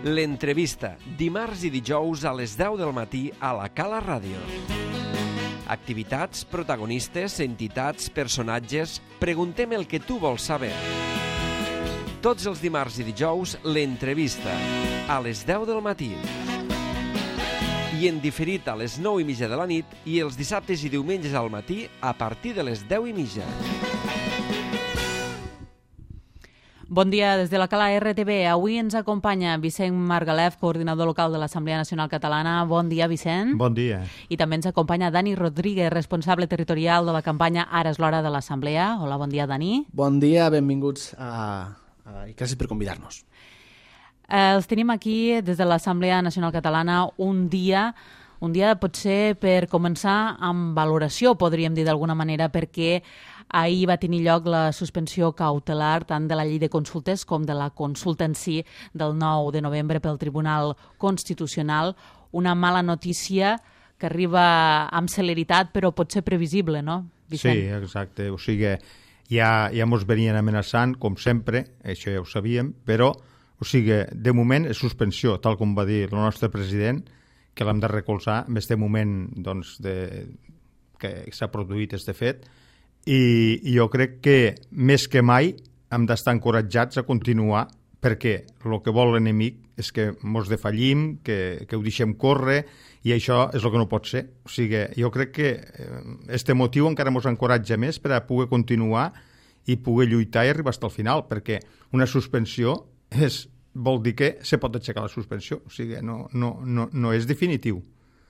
L'entrevista, dimarts i dijous a les 10 del matí a la Cala Ràdio. Activitats, protagonistes, entitats, personatges... Preguntem el que tu vols saber. Tots els dimarts i dijous, l'entrevista, a les 10 del matí. I en diferit a les 9:30 de la nit i els dissabtes i diumenges al matí a partir de les 10:30. Bon dia des de la Cala RTV. Avui ens acompanya Vicent Margalef, coordinador local de l'Assemblea Nacional Catalana. Bon dia, Vicent. Bon dia. I també ens acompanya Dani Rodríguez, responsable territorial de la campanya Ara és l'hora de l'Assemblea. Hola, bon dia, Dani. Bon dia, benvinguts i gràcies per convidar-nos. Els tenim aquí des de l'Assemblea Nacional Catalana un dia potser per començar amb valoració, podríem dir d'alguna manera, perquè ahir va tenir lloc la suspensió cautelar tant de la llei de consultes com de la consulta en si del 9 de novembre pel Tribunal Constitucional. Una mala notícia que arriba amb celeritat però pot ser previsible, no, Vicent? Sí, exacte. O sigui, ja mos venien amenaçant, com sempre, això ja ho sabíem, però, o sigui, de moment és suspensió, tal com va dir el nostre president, que l'hem de recolzar en aquest moment doncs, que s'ha produït este fet, i jo crec que més que mai hem d'estar encoratjats a continuar, perquè el que vol l'enemic és que mos defallim, que ho deixem córrer, i això és el que no pot ser. O sigui, jo crec que este motiu encara mos encoratja més per a poder continuar i poder lluitar i arribar fins al final, perquè una suspensió vol dir que se pot aixecar la suspensió, o sigui, no és definitiu,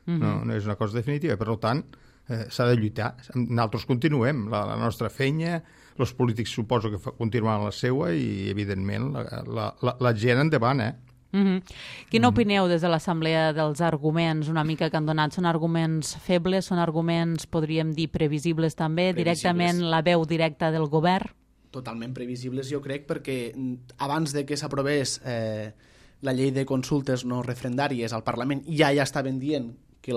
no és una cosa definitiva, per tant, s'ha de lluitar. Nosaltres continuem la nostra feina, els polítics suposo que continuen la seua i, evidentment, la gent endavant, Quina opineu des de l'Assemblea dels arguments una mica que han donat? Són arguments febles, són arguments, podríem dir, previsibles també, directament la veu directa del govern? Totalment previsibles, jo crec, perquè abans de que s'aprovés la llei de consultes no referendàries al Parlament ja estaven dient que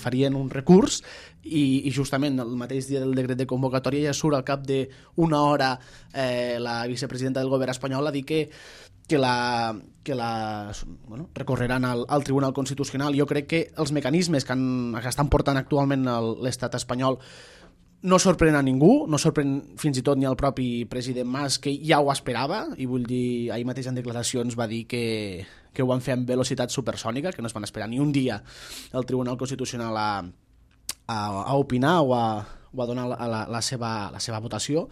farien un recurs i justament el mateix dia del decret de convocatòria ja surt al cap d'una hora la vicepresidenta del govern espanyol a dir que recorreran al Tribunal Constitucional. Jo crec que els mecanismes que estan portant actualment l'estat espanyol no sorprèn a ningú, no sorprèn fins i tot ni al propi president Mas, que ja ho esperava, i vull dir, ahir mateix en declaracions va dir que ho van fer amb velocitat supersònica, que no es van esperar ni un dia el Tribunal Constitucional a opinar o a donar la seva votació.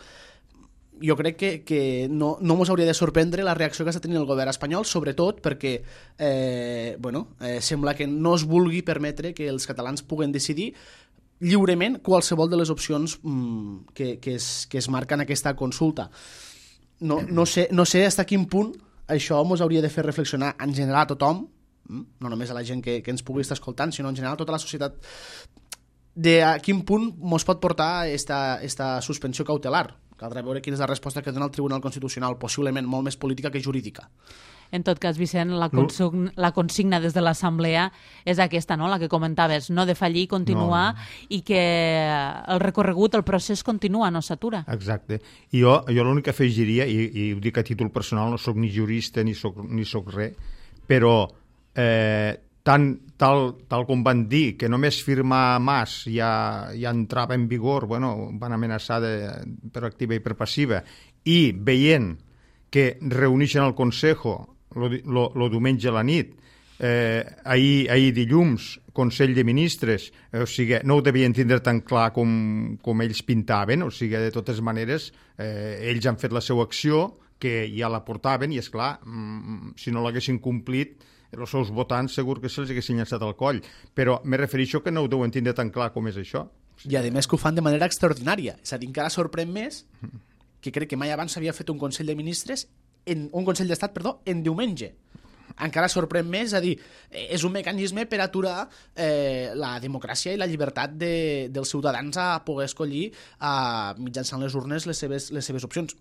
Jo crec que no ens hauria de sorprendre la reacció que està tenint el govern espanyol, sobretot perquè sembla que no es vulgui permetre que els catalans puguen decidir lliurement qualsevol de les opcions que es marquen en aquesta consulta. No sé fins a quin punt això ens hauria de fer reflexionar en general a tothom, no només a la gent que ens pugui estar escoltant, sinó en general a tota la societat, de a quin punt ens pot portar esta suspensió cautelar. Caldrà veure quina és la resposta que dona el Tribunal Constitucional, possiblement molt més política que jurídica. En tot cas, Vicent, la consigna des de l'Assemblea és aquesta, no?, la que comentaves, no defallir, continuar, i que el recorregut, el procés continua, no s'atura. Exacte. I jo l'únic que afegiria, i ho dic a títol personal, no sóc ni jurista ni sóc res, però tal com van dir que només firmar Mas ja entrava en vigor, van amenaçar per activa i per passiva, i veient que reuneixen el Consejo el diumenge a la nit, ahir dilluns, Consell de Ministres, o sigui, no ho devien tindre tan clar com ells pintaven, o sigui, de totes maneres, ells han fet la seva acció, que ja la portaven, i és clar, si no l'haguessin complit, els seus votants segur que se'ls haguessin llançat al coll, però me refereixo que no ho deuen tindre tan clar com és això. I a més que ho fan de manera extraordinària, és a dir, encara sorprèn més que crec que mai abans s'havia fet un Consell de Ministres un Consell d'Estat, en diumenge. Encara sorprèn més, és a dir, és un mecanisme per aturar la democràcia i la llibertat dels ciutadans a poder escollir mitjançant les urnes les seves opcions.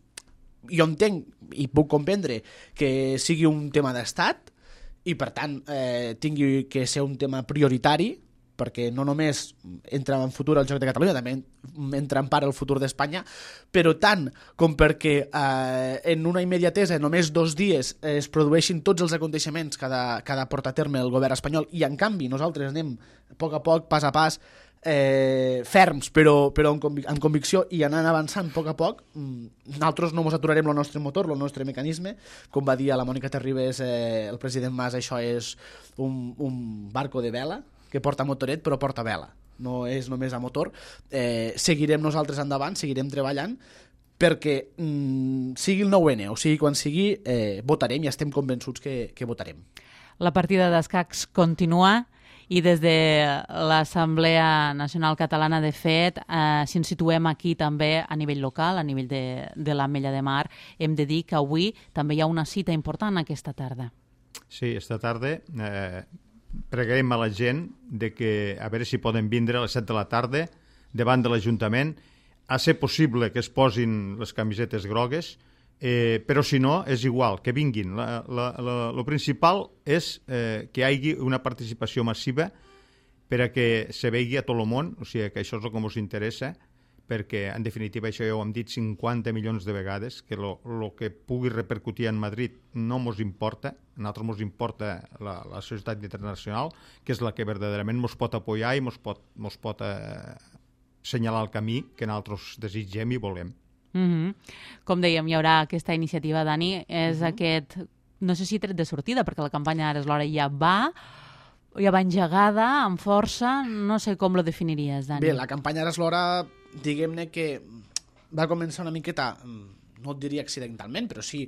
Jo entenc i puc comprendre que sigui un tema d'Estat i, per tant, tingui que ser un tema prioritari perquè no només entra en futur el Joc de Catalunya, també entra en part el futur d'Espanya, però tant com perquè en una immediatesa, en només 2 dies, es produeixin tots els aconteixements que ha de portar a terme el govern espanyol, i en canvi nosaltres anem a poc, pas a pas, ferms però amb convicció i anant avançant a poc, nosaltres no ens aturarem el nostre motor, el nostre mecanisme. Com va dir a la Mònica Terribas el president Mas, això és un barco de vela que porta motoret però porta vela, no és només a motor. Seguirem nosaltres endavant, seguirem treballant perquè sigui el 9N o sigui quan sigui, votarem i estem convençuts que votarem. La partida d'escacs continua i des de l'Assemblea Nacional Catalana, de fet, si ens situem aquí també a nivell local, a nivell de l'Ametlla de Mar, hem de dir que avui també hi ha una cita important aquesta tarda. Sí, esta tarda pregarem a la gent de que a veure si poden vindre a les 7 de la tarda davant de l'Ajuntament, a ser possible que es posin les camisetes grogues, però si no, és igual, que vinguin. Lo principal és que hi hagi una participació massiva per a que se vegi a tot el món, o sigui que això és el que ens interessa, perquè en definitiva això ja ho hem dit 50 milions de vegades, que el que pugui repercutir en Madrid no ens importa, a nosaltres ens importa la societat internacional, que és la que verdaderament ens pot apoyar i ens pot assenyalar el camí que nosaltres desitgem i volem. Com dèiem, hi haurà aquesta iniciativa, Dani, és aquest, no sé si tret de sortida, perquè la campanya Ara és l'hora ja va engegada, amb força, no sé com lo definiries, Dani. Bé, la campanya Ara és l'hora, diguem-ne que va començar una miqueta, no et diria accidentalment, però sí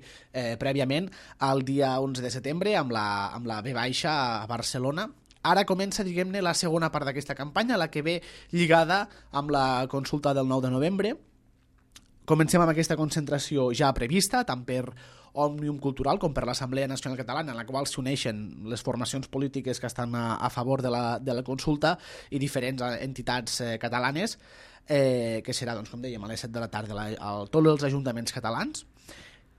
prèviament, el dia 11 de setembre, amb la B baixa a Barcelona. Ara comença, diguem-ne, la segona part d'aquesta campanya, la que ve lligada amb la consulta del 9 de novembre. Comencem amb aquesta concentració ja prevista, tant per Òmnium Cultural com per l'Assemblea Nacional Catalana, en la qual s'uneixen les formacions polítiques que estan a favor de la consulta i diferents entitats catalanes, que serà, doncs, com dèiem, a les 7 de la tarda a tots els ajuntaments catalans.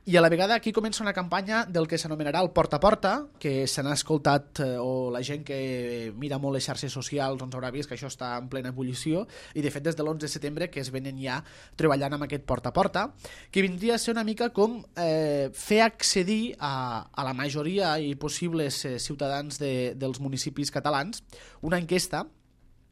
I a la vegada aquí comença una campanya del que s'anomenarà el porta a porta, que se n'ha escoltat, o la gent que mira molt les xarxes socials doncs haurà vist que això està en plena ebullició, i de fet des de l'11 de setembre que es venen ja treballant amb aquest porta a porta, que vindria a ser una mica com fer accedir a la majoria i possibles ciutadans dels municipis catalans una enquesta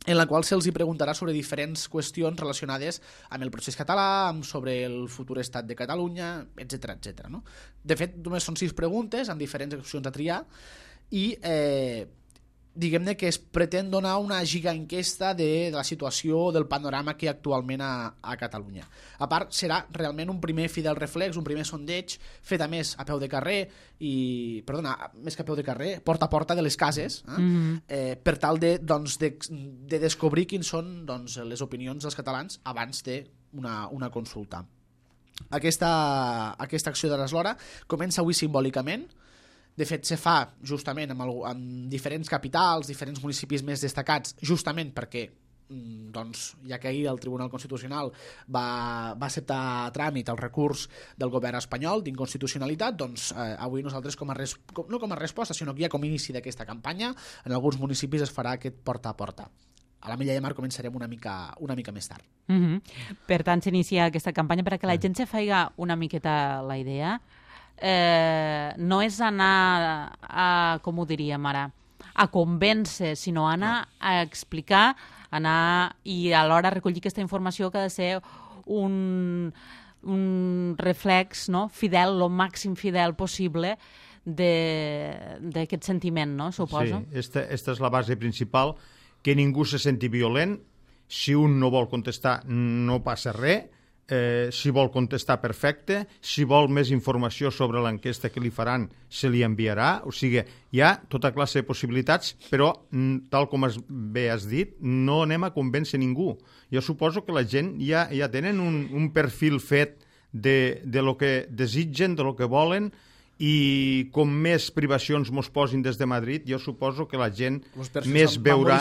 en la qual se'ls preguntarà sobre diferents qüestions relacionades amb el procés català, sobre el futur estat de Catalunya, etc. No? De fet, només són 6 preguntes amb diferents opcions a triar i diguem-ne que es pretén donar una gigaenquesta de la situació, del panorama que hi ha actualment a Catalunya. A part, serà realment un primer fidel reflex, un primer sondeig fet a més a peu de carrer més que a peu de carrer, porta a porta de les cases, per tal de descobrir quins són les opinions dels catalans abans d'una consulta. Aquesta acció de l'Ara comença avui simbòlicament. De fet, se fa justament en diferents capitals, diferents municipis més destacats, justament perquè ja que ahir el Tribunal Constitucional va acceptar a tràmit el recurs del govern espanyol d'inconstitucionalitat, doncs avui nosaltres no com a resposta, sinó que ja com a inici d'aquesta campanya, en alguns municipis es farà aquest porta a porta. A l'Ametlla de Mar començarem una mica més tard. Per tant, s'inicia aquesta campanya perquè la gent se faiga una miqueta la idea. No és anar com ho diríem ara, a convèncer, sinó anar a explicar, anar i alhora recollir aquesta informació que ha de ser un reflex, no? Fidel, el màxim fidel possible d'aquest sentiment, no? Suposo. Sí, esta és la base principal, que ningú se senti violent. Si un no vol contestar, no passa res. Si vol contestar, perfecte. Si vol més informació sobre l'enquesta que li faran, se li enviarà. O sigui, hi ha tota classe de possibilitats, però, tal com bé has dit, no anem a convèncer ningú. Jo suposo que la gent ja tenen un perfil fet de lo que desitgen, de lo que volen, i com més privacions mos posin des de Madrid, jo suposo que la gent més veurà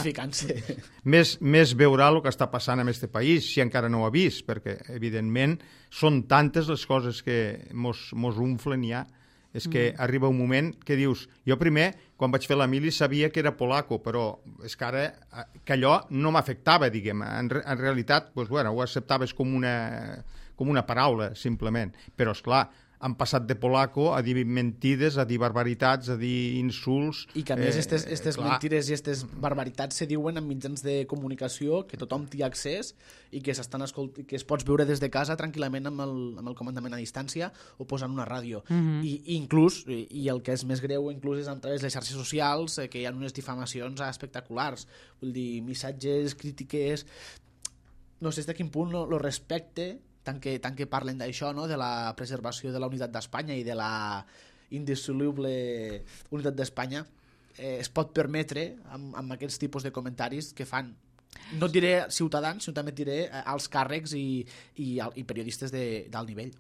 el que està passant en aquest país, si encara no ho ha vist, perquè evidentment són tantes les coses que mos unflen ja És que arriba un moment que dius... Jo primer, quan vaig fer la mili, sabia que era polaco, però és que ara que allò no m'afectava, diguem. En realitat, doncs, bueno, ho acceptaves com una paraula, simplement. Però, esclar, han passat de polaco a dir mentides, a dir barbaritats, a dir insults... I que a més aquestes mentides i aquestes barbaritats se diuen en mitjans de comunicació que tothom té accés i que que es pots veure des de casa tranquil·lament amb el comandament a distància o posant una ràdio. I inclús, i el que és més greu, inclús és a través de les xarxes socials, que hi ha unes difamacions espectaculars. Vull dir, missatges, crítiques... No sé de quin punt lo respecte tant que parlen d'això, no? De la preservació de la unitat d'Espanya i de la indissoluble unitat d'Espanya, es pot permetre amb aquests tipus de comentaris que fan, no et diré ciutadans, sinó també et diré alts càrrecs i periodistes d'alt nivell.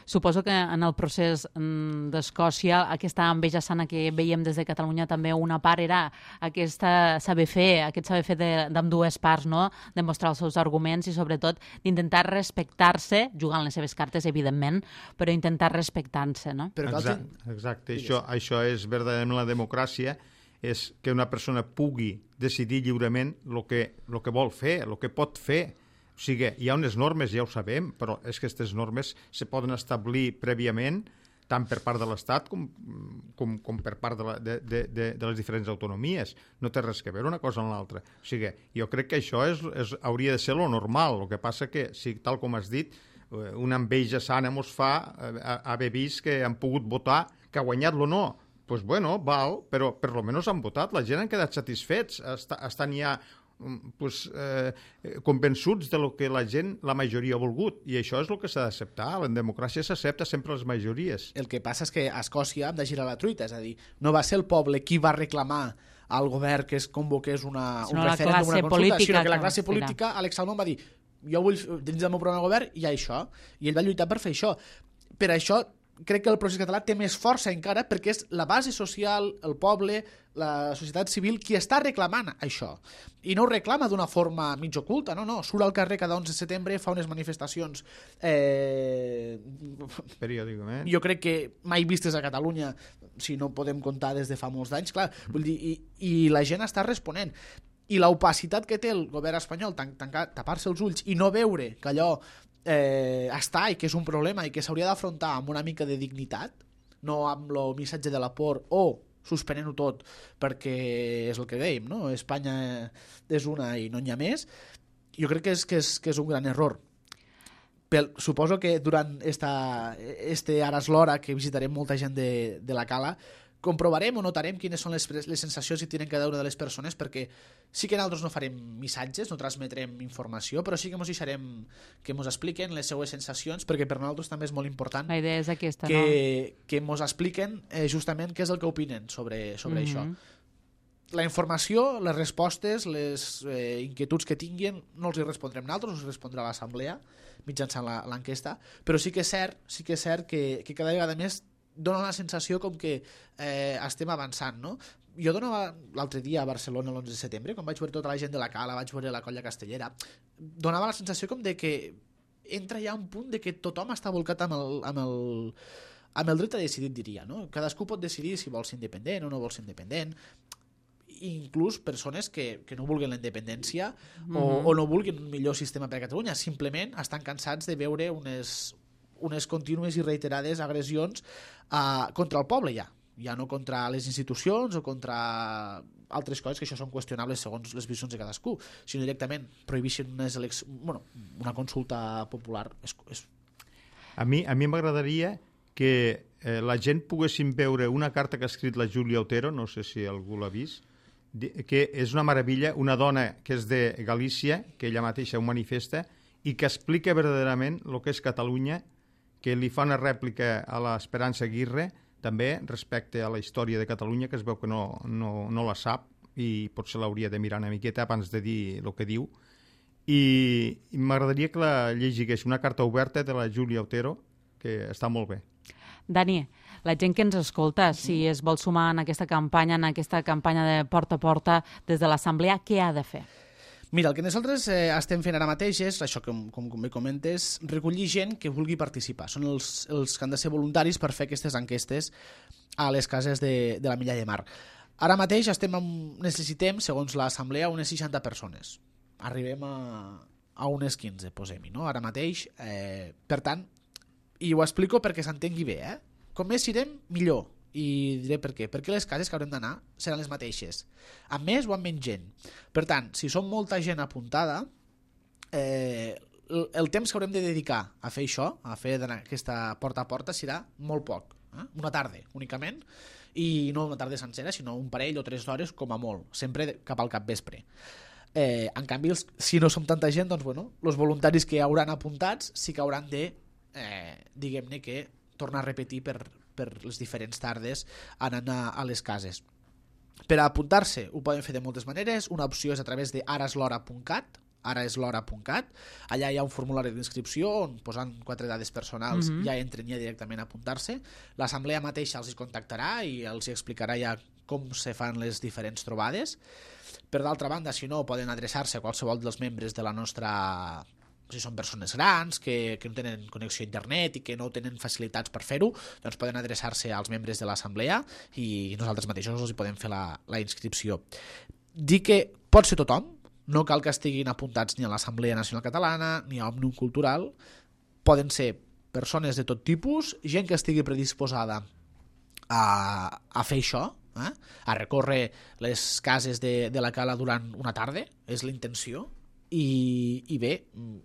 Suposo que en el procés d'Escòcia aquesta enveja sana que veiem des de Catalunya també una part era aquest saber fer d'ambdues parts, no? Demostrar els seus arguments i sobretot d'intentar respectar-se, jugant les seves cartes evidentment, però intentar respectar-se, no? Exacte. Això és verdaderament la democràcia, és que una persona pugui decidir lliurement el que vol fer, el que pot fer. O sigui, hi ha unes normes, ja ho sabem, però és que aquestes normes se poden establir prèviament, tant per part de l'Estat com per part de les diferents autonomies. No té res que veure una cosa amb l'altra. O sigui, jo crec que això hauria de ser lo normal. El que passa que, tal com has dit, una enveja sana mos fa haver vist que han pogut votar, que ha guanyat lo no. Doncs bueno, val, però per lo menos han votat, la gent han quedat satisfets, estan ja convençuts de lo que la majoria ha volgut, i això és el que s'ha d'acceptar. En democràcia s'accepta sempre les majories. El que passa és que a Escòcia hem de girar la truita, és a dir, no va ser el poble qui va reclamar al govern que es convoqués un referèndum, una consulta, sinó que la classe política, Alex Salmond va dir, jo vull, dins del meu programa de govern hi ha això, i ell va lluitar per fer això. Per això crec que el procés català té més força encara perquè és la base social, el poble, la societat civil qui està reclamant això. I no ho reclama d'una forma mig oculta, no. Surt al carrer cada 11 de setembre, fa unes manifestacions periòdicament. Jo crec que mai vistes a Catalunya, si no podem comptar des de fa molts anys, clar, vull dir, i la gent està responent. I l'opacitat que té el govern espanyol, tapar-se els ulls i no veure que allò està i que és un problema i que s'hauria d'afrontar amb una mica de dignitat, no amb el missatge de la por o suspenent-ho tot perquè és el que dèiem, no? Espanya és una i no n'hi ha més. Jo crec que és un gran error. Suposo que durant ara és l'hora que visitarem molta gent de la Cala, comprovarem o notarem quines són les sensacions que tenen cada una de les persones, perquè sí que nosaltres no farem missatges, no transmetrem informació, però sí que ens deixarem que ens expliquen les seues sensacions, perquè per nosaltres també és molt important la idea és aquesta, que ens expliquen justament què és el que opinen sobre això. La informació, les respostes, les inquietuds que tinguin no els hi respondrem nosaltres, els respondrà l'assemblea mitjançant l'enquesta, però sí que és cert que cada vegada més dona la sensació com que estem avançant, no? Jo donava l'altre dia a Barcelona l'11 de setembre, quan vaig veure tota la gent de la Cala, vaig veure la colla castellera, donava la sensació com de que entra ja un punt de que tothom està volcat amb el dret a decidir, diria, no? Cadascú pot decidir si vol ser independent o no vol ser independent, inclús persones que no vulguin la independència o no vulguin un millor sistema per a Catalunya, simplement estan cansats de veure unes contínues i reiterades agressions contra el poble ja no contra les institucions o contra altres coses que això són qüestionables segons les visions de cadascú, sinó directament prohibeixen una consulta popular. A mi m'agradaria que la gent poguessin veure una carta que ha escrit la Júlia Otero, no sé si algú l'ha vist, que és una meravella, una dona que és de Galícia, que ella mateixa ho manifesta, i que explica verdaderament el que és Catalunya, que li fa una rèplica a l'Esperança Aguirre, també respecte a la història de Catalunya, que es veu que no la sap i potser l'hauria de mirar una miqueta abans de dir el que diu. I m'agradaria que la llegigués, una carta oberta de la Júlia Otero, que està molt bé. Dani, la gent que ens escolta, si es vol sumar en aquesta campanya de porta a porta des de l'Assemblea, què ha de fer? Mira, el que nosaltres estem fent ara mateix és, això com bé comentes, recollir gent que vulgui participar. Són els que han de ser voluntaris per fer aquestes enquestes a les cases de la Milla de Mar. Ara mateix necessitem, segons l'assemblea, unes 60 persones. Arribem a unes 15, posem-hi, no? Ara mateix. Per tant, i ho explico perquè s'entengui bé, com més irem, millor. I diré per què. Perquè les cases que haurem d'anar seran les mateixes, amb més o amb menys gent. Per tant, si som molta gent apuntada, el temps que haurem de dedicar a fer això, a fer aquesta porta a porta, serà molt poc. Una tarda, únicament, i no una tarda sencera, sinó un parell o 3 hores com a molt, sempre cap al capvespre. En canvi, si no som tanta gent, doncs, bueno, els voluntaris que hauran apuntats sí que hauran de, diguem-ne que, tornar a repetir per les diferents tardes anant a les cases. Per a apuntar-se ho poden fer de moltes maneres. Una opció és a través de araeslora.cat, allà hi ha un formulari d'inscripció on posant 4 dades personals ja entren ja directament a apuntar-se. L'assemblea mateixa els contactarà i els explicarà ja com se fan les diferents trobades. Per d'altra banda, si no, poden adreçar-se a qualsevol dels membres de la nostra... Si són persones grans que no tenen connexió a internet i que no tenen facilitats per fer-ho, doncs poden adreçar-se als membres de l'assemblea i nosaltres mateixos els podem fer la inscripció. Dir que pot ser tothom, no cal que estiguin apuntats ni a l'Assemblea Nacional Catalana ni a Òmnium Cultural, poden ser persones de tot tipus, gent que estigui predisposada a fer això, a recórrer les cases de la Cala durant una tarda, és la intenció. I bé,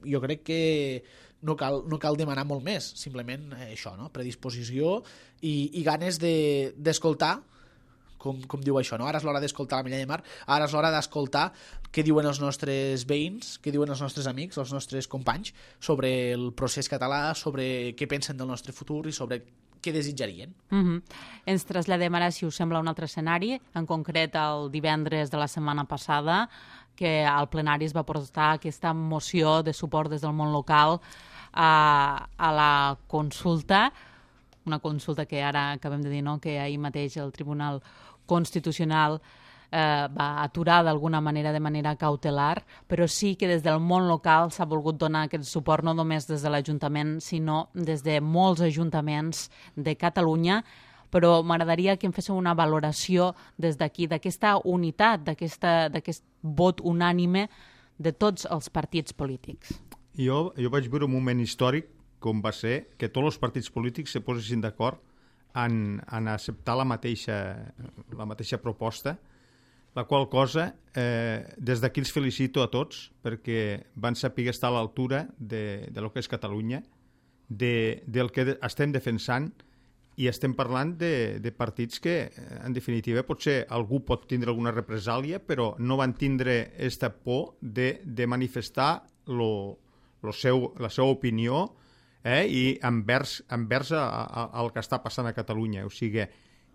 jo crec que no cal demanar molt més, simplement això, no? Predisposició i ganes d'escoltar, com diu això, no? Ara és l'hora d'escoltar la Milla de Mar, ara és l'hora d'escoltar què diuen els nostres veïns, què diuen els nostres amics, els nostres companys sobre el procés català, sobre què pensen del nostre futur i sobre què desitjarien. Ens traslladem ara, si us sembla, a un altre escenari, en concret el divendres de la setmana passada, que al plenari es va portar aquesta moció de suport des del món local a la consulta, una consulta que ara acabem de dir, no?, que ahir mateix el Tribunal Constitucional va aturar d'alguna manera, de manera cautelar, però sí que des del món local s'ha volgut donar aquest suport no només des de l'Ajuntament, sinó des de molts ajuntaments de Catalunya, però m'agradaria que em féssiu una valoració des d'aquí, d'aquesta unitat, d'aquest vot unànime de tots els partits polítics. Jo vaig veure un moment històric com va ser que tots els partits polítics se posessin d'acord en acceptar la mateixa proposta, la qual cosa, des d'aquí els felicito a tots perquè van saber estar a l'altura de lo que és Catalunya, del que estem defensant, i estem parlant de partits que, en definitiva, potser algú pot tindre alguna represàlia, però no van tindre aquesta por de manifestar la seva opinió i envers el que està passant a Catalunya. O sigui,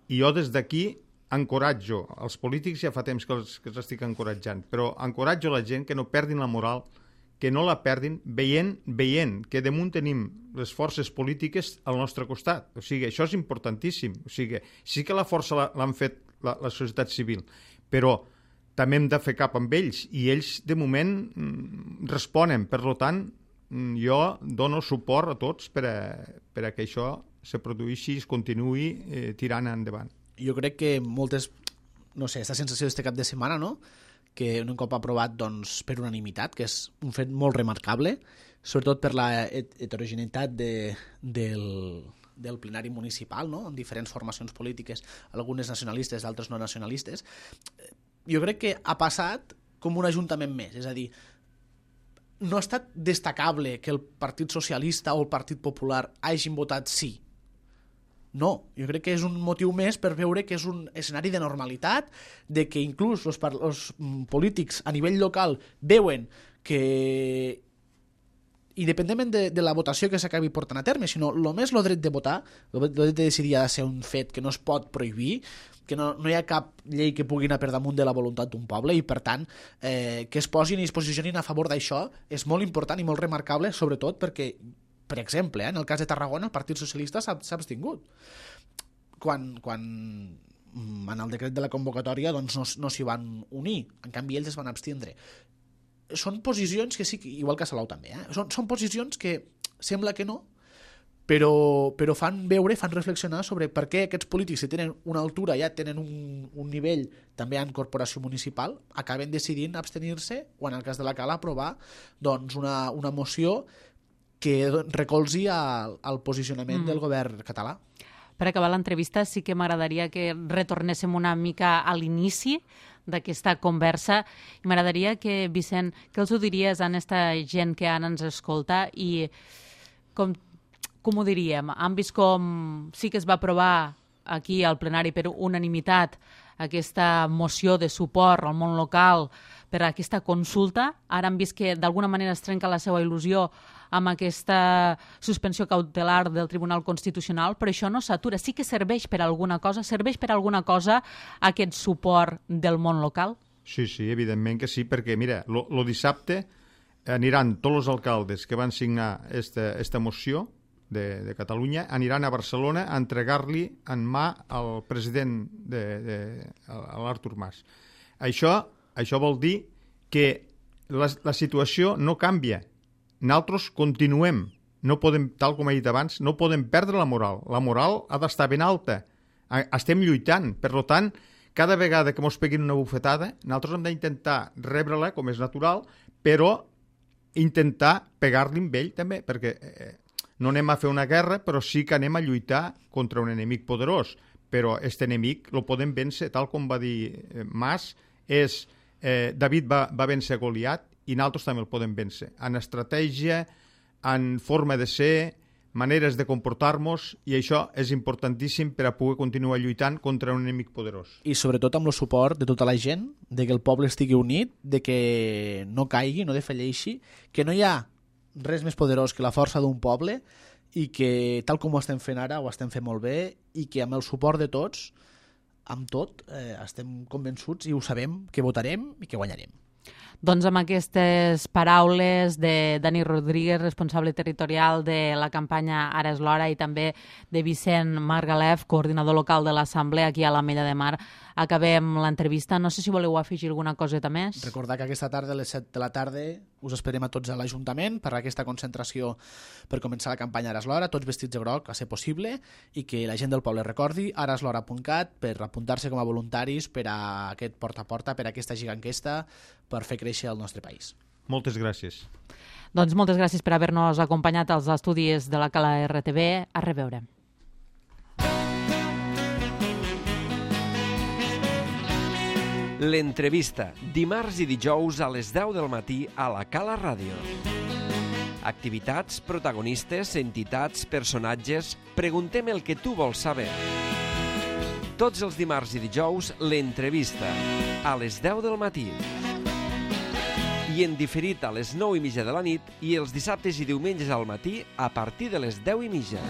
jo des d'aquí encoratjo els polítics, ja fa temps que els estic encoratjant, però encoratjo la gent que no perdin la moral, que no la perdin, veient que damunt tenim les forces polítiques al nostre costat. O sigui, això és importantíssim. O sigui, sí que la força l'han fet la societat civil, però també hem de fer cap amb ells, i ells, de moment, responen. Per tant, jo dono suport a tots per a que això se produeixi i es continuï tirant endavant. Jo crec que moltes, no sé, aquesta sensació d'este cap de setmana, no?, que un cop aprovat doncs, per unanimitat, que és un fet molt remarcable, sobretot per la heterogeneïtat del plenari municipal, no?, amb diferents formacions polítiques, algunes nacionalistes, d'altres no nacionalistes. Jo crec que ha passat com un ajuntament més, és a dir, no ha estat destacable que el Partit Socialista o el Partit Popular hagin votat sí. No, jo crec que és un motiu més per veure que és un escenari de normalitat, de que inclús els polítics a nivell local veuen que, independentment de la votació que s'acabi portant a terme, sinó només el dret de votar, el dret de decidir ha de ser un fet que no es pot prohibir, que no hi ha cap llei que pugui anar per damunt de la voluntat d'un poble, i per tant que es posin i es posicionin a favor d'això és molt important i molt remarcable, sobretot perquè, per exemple, en el cas de Tarragona, el Partit Socialista s'ha abstingut. Quan en el decret de la convocatòria doncs, no s'hi van unir, en canvi ells es van abstindre. són posicions que sí, igual que a Salau també, són posicions que sembla que no, però fan veure, fan reflexionar sobre per què aquests polítics, si tenen una altura, ja tenen un nivell també en corporació municipal, acaben decidint abstenir-se o, en el cas de la Cala, aprovar doncs, una moció que recolzi al posicionament del govern català. Per acabar l'entrevista, sí que m'agradaria que retornéssim una mica a l'inici d'aquesta conversa i m'agradaria que, Vicent, què els ho diries a aquesta gent que ara ens escolta i com ho diríem? Han vist com sí que es va aprovar aquí al plenari per unanimitat aquesta moció de suport al món local per a aquesta consulta. Ara han vist que d'alguna manera es trenca la seva il·lusió amb aquesta suspensió cautelar del Tribunal Constitucional, però això no s'atura. Sí que serveix per alguna cosa? Serveix per alguna cosa aquest suport del món local? Sí, evidentment que sí, perquè, mira, lo dissabte aniran tots els alcaldes que van signar esta moció de Catalunya, aniran a Barcelona a entregar-li en mà al president, a l'Artur Mas. Això vol dir que la situació no canvia. Nosaltres continuem, no podem, tal com he dit abans, no podem perdre la moral. La moral ha d'estar ben alta. Estem lluitant. Per tant, cada vegada que ens peguin una bufetada, nosaltres hem d'intentar rebre-la, com és natural, però intentar pegar-li amb ell també, perquè no anem a fer una guerra, però sí que anem a lluitar contra un enemic poderós. Però aquest enemic el podem vèncer, tal com va dir Mas, David va vèncer Goliat, i nosaltres també el podem vèncer. En estratègia, en forma de ser, maneres de comportar-nos, i això és importantíssim per a poder continuar lluitant contra un enemic poderós. I sobretot amb el suport de tota la gent, de que el poble estigui unit, de que no caigui, no defalleixi, que no hi ha res més poderós que la força d'un poble i que, tal com ho estem fent ara, ho estem fent molt bé i que amb el suport de tots, amb tot, estem convençuts i ho sabem que votarem i que guanyarem. Doncs amb aquestes paraules de Dani Rodríguez, responsable territorial de la campanya Ara és l'hora, i també de Vicent Margalef, coordinador local de l'Assemblea aquí a l'Ametlla de Mar, acabem l'entrevista. No sé si voleu afegir alguna coseta més. Recordar que aquesta tarda a les 7 de la tarda us esperem a tots a l'Ajuntament per a aquesta concentració per començar la campanya Ara és l'hora, tots vestits de groc, a ser possible, i que la gent del poble recordi araslhora.cat per apuntar-se com a voluntaris per a aquest porta a porta, per a aquesta giganquesta, per fer créixer el nostre país. Moltes gràcies. Doncs moltes gràcies per haver-nos acompanyat als estudis de la Cala RTV. A reveure. L'entrevista, dimarts i dijous a les 10 del matí a la Cala Ràdio. Activitats, protagonistes, entitats, personatges... Preguntem el que tu vols saber. Tots els dimarts i dijous, l'entrevista, a les 10 del matí. I en diferit a les 9:30 de la nit i els dissabtes i diumenges al matí a partir de les 10:30.